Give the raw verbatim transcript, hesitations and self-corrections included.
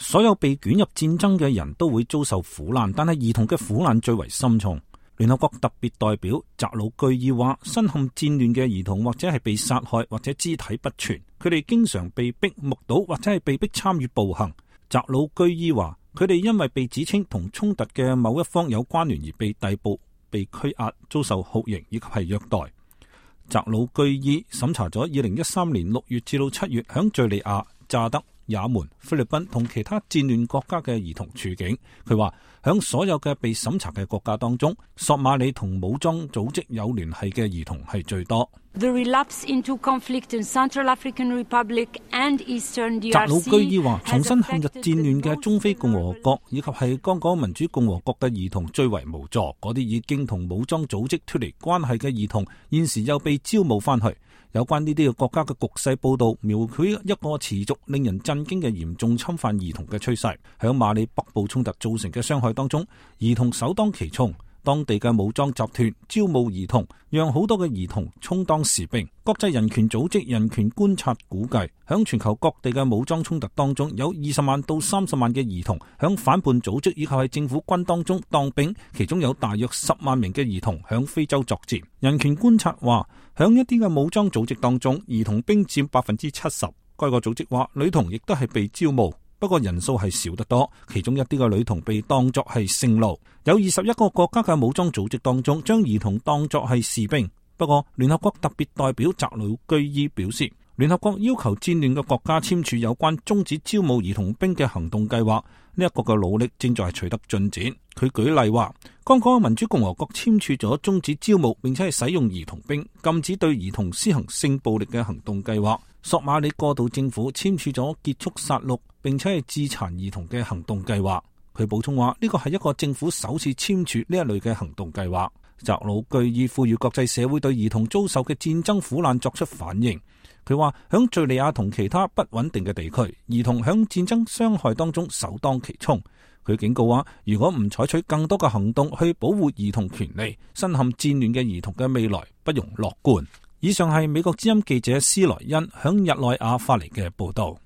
所有被捲入戰爭嘅人都會遭受苦難，但係兒童嘅苦難最為深重。聯合國特別代表扎魯居爾話，身陷戰亂嘅兒童或者係被殺害，或者肢體不全，佢哋經常被逼目睹或者係被逼參與暴行。扎魯居爾話，佢哋因為被指稱同衝突嘅某一方有關聯而被逮捕、被拘押、遭受酷刑以及係虐待。扎魯居爾審查咗二零一三年六月至到七月響敘利亞、乍得、也門、菲律賓同其他戰亂國家嘅兒童處境。佢話響所有嘅被審查嘅國家當中，索馬里同武裝組織有聯繫嘅兒童係最多。The relapse into conflict in Central African Republic and Eastern D R C 扎魯居爾話，重新陷入戰亂嘅中非共和國以及係剛果民主共和國嘅兒童最為無助。嗰啲已經同武裝組織脫離關係嘅兒童，現時又被招募翻去。有關呢啲嘅國家嘅局勢報道，描繪一個持續令人震驚嘅嚴重侵犯兒童嘅趨勢。響馬里北部衝突造成嘅傷害當中，兒童首當其衝。當地嘅武裝集團招募兒童，讓好多嘅兒童充當士兵。國際人權組織人權觀察估計，響全球各地嘅武裝衝突當中，有二十萬到三十萬嘅兒童響反叛組織以及係政府軍當中當兵，其中有大約十萬名嘅兒童響非洲作戰。人權觀察話，響一啲嘅武裝組織當中，兒童兵佔百分之七十。該個組織話，女童亦都係被招募。不過人數係少得多，其中一啲嘅女童被當作係性奴。有二十一個國家嘅武裝組織當中，將兒童當作係士兵。不過聯合國特別代表扎魯居爾表示，聯合國要求戰亂嘅國家簽署有關終止招募兒童兵嘅行動計劃，呢一個嘅努力正在取得進展。佢舉例話，剛果民主共和國簽署咗終止招募並且係使用兒童兵、禁止對兒童施行性暴力嘅行動計劃。索馬里過渡政府簽署咗結束殺戮並且係致殘兒童嘅行動計劃。佢補充話，呢個係一個政府首次簽署呢一類嘅行動計劃。扎魯居爾呼籲國際社會對兒童遭受嘅戰爭苦難作出反應。佢話響敘利亞同其他不穩定嘅地區，兒童響戰爭傷害當中首當其衝。佢警告話，如果唔採取更多嘅行動去保護兒童權利，身陷戰亂嘅兒童嘅未來不容樂觀。以上係美國之音記者斯萊恩響日內瓦發嚟嘅報道。